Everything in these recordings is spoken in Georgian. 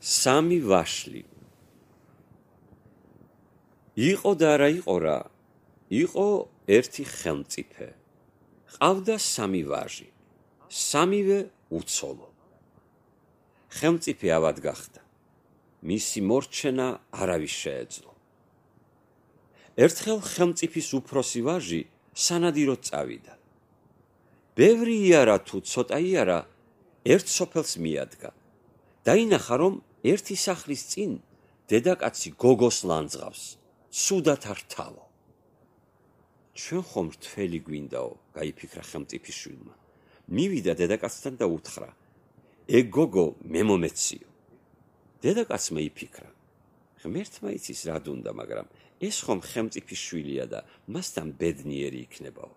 სამი ვაშლი. იყო და არა იყო რა, იყო ერთი ხელმწიფე. ყავდა სამი ვაჟი, სამივე უცოლო. ხელმწიფე ავად გახდა, მისი მორჩენა არავის შეეძლო. ერთხელ ხელმწიფის უფროსი ვაჟი სანადიროდ წავიდა. ბევრი იარა თუ ცოტა იარა, ერთ სოფელს მიადგა. დაინახა, რომ ერთი სახლის წინ დედაკაცი გოგოს ლანძღავს, ცუდად არ თავო. ჩვენ ხომ რთველი გვინდაო, გაიფიქრა ხელმწიფის შვილმა. მივიდა დედაკაცთან და უთხრა, ეგ გოგო მე მომეციო. დედაკაცმა იფიქრა, ღმერთმა იცის რა დუნდა, მაგრამ ეს ხომ ხელმწიფის შვილია და მასთან ბედნიერი იქნებაო.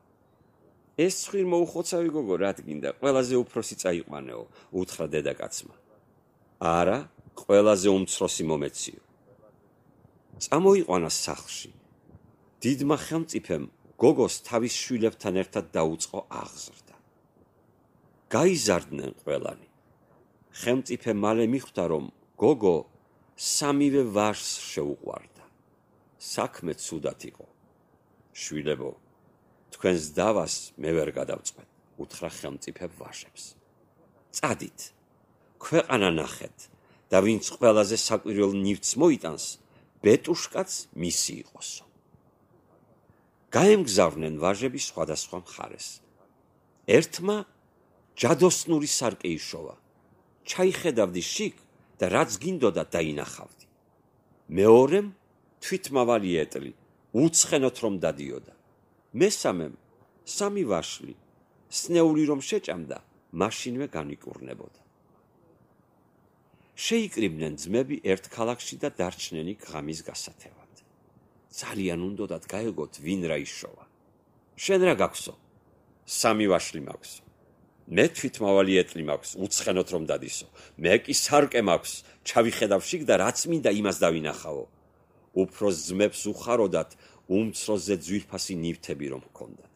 ეს ცხვირ მოუხოცავი გოგო რა გინდა, ყველაზე უფროსი წაიყვანეო, უთხრა დედაკაცმა. არა, ყველაზე უმცროსი მომეციო. წამოიყვანა სახლში. დიდმა ხელმწიფემ გოგოს თავის შვილებთან ერთად დაუწყო აღზრდა. გაიზარდნენ ყველანი. ხელმწიფე მალე მიხვდა, რომ გოგო სამივე ვაჟს შეუყვარდა. საქმე ცუდად იყო. შვილებო, თქვენს დავას მე ვერ გადავწყვეტ, უთხრა ხელმწიფე ვაჟებს. წადით, ქვეყანა ნახეთ და ვინც ყველაზე საკვირველ ნივთს მოიტანს, ბეტუშკაც მისი იყოსო. გაემგზავრნენ ვაჟები სხვადასხვა მხარეს. ერთმა ჯადოსნური სარკე იშოვა. ჩაიხედავდი შიგ და რაც გინდოდა დაინახავდი. მეორემ თვითმავალი ეტლი, უცხენოთ რომ დადიოდა. მესამემ სამი ვაშლი, სნეული რომ შეჭამდა, მაშინვე განიკურნებოდა. შეიკრიბნენ ძმები ერთ ქალაქში და დარჩნენ იქ ღამის გასათევად. ძალიან უნდოდათ გაეგოთ ვინ რა იშოვა. შენ რა გაქვსო? სამი ვაშლი მაქვსო. მე თვითმავალი ეტლი მაქვს, უცხენოთ რომ დადისო. მე კი სარკე მაქვს, ჩავიხედავ შიგ და რაც მინდა იმას დავინახავო. უფროს ძმებს უხაროდათ უმცროსზე ძვირფასი ნივთები რომ ჰქონდათ.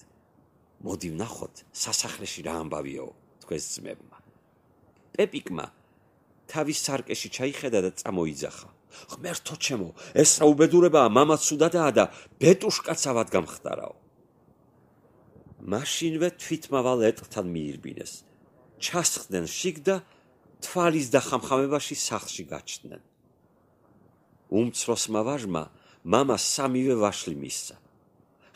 მოდი ვნახოთ სასახლეში რა ამბავიაო, თქვენს ძმებმა. პეპიკმა თავის სარკეში ჩაიხედა და წამოიძახა. ღმერთო ჩემო, ეს რა უბედურებაა, მამა ცუდადაა და ბეტუშკაც ავად გამხდარაო. მაშინვე თვითმავალ ეტლთან მიირბინეს. ჩასხდნენ შიგ და თვალის დახამხამებაში სახლში გაჩნდნენ. უმცროსმა ვაჟმა მამა სამივე ვაშლი მისცა.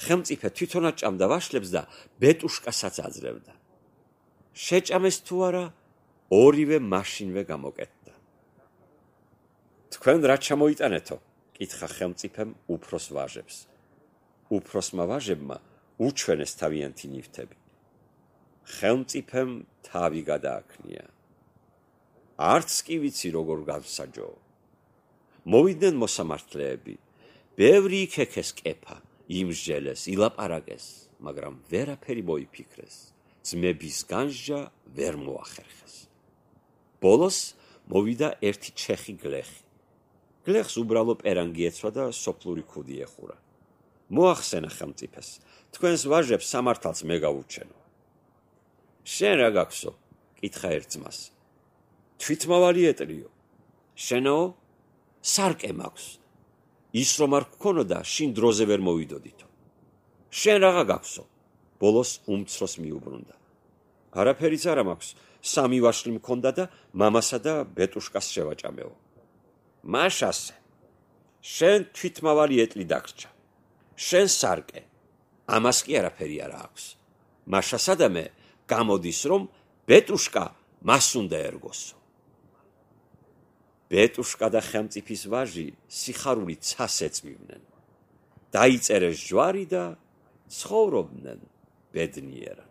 ხელმწიფე თვითონაც ჭამდა ვაშლებს და ბეტუშკასაც აძლევდა. შეჭამეს თუ არა, ორივე მაშინვე გამოკეტდა. თქვენ რა ჩამოიტანეთო? კითხა ხელმწიფემ უფროს ვაჟებს. უფროსმა ვაჟებმა უჩვენეს თავიანთი ნივთები. ხელმწიფემ თავი გადააქნია. არც კი ვიცი როგორ გავსაჯო. მოვიდნენ მოსამართლეები. ბევრი იქექეს კეფა, იმსჯელეს, ილაპარაკეს, მაგრამ ვერაფერი მოიფიქრეს. ძმების განსჯა ვერ მოახერხეს. ბოლოს მოვიდა ერთი ჩეხი გლეხი. გლეხს უბრალო პერანგი ეცვა და სოფლური ქუდი ეხურა. მოახსენა ხელმწიფეს, თქვენს ვაჟებს სამართალს მე გავურჩენო. შენ რა გაქვსო? კითხა ერთ ძმას. თვითმავალი ეტლიო. შენო? სარკე მაქვს. ის რომ არ გქონოდა, შინ დროზე ვერ მოვიდოდითო. შენ რაღა გაქვსო? ბოლოს უმცროს მიუბრუნდა. არაფერიც არა მაქვს, სამი ვაშლი მქონდა და მამასა და ბეტუშკას შევაჭამეო. მაშასე, შენ თვითმავალი ეტლი დაგრჩა. შენ სარკე, ამას კი არაფერი არა აქვს. მაშასა მე გამოდის, რომ ბეტუშკა მას უნდა ერგოსო. ბეტუშკა და ხელმწიფის ვაჟი სიხარულით ცას ეწვივნენ. დაიწერეს ჯვარი და ცხოვრობდნენ ბედნიერად.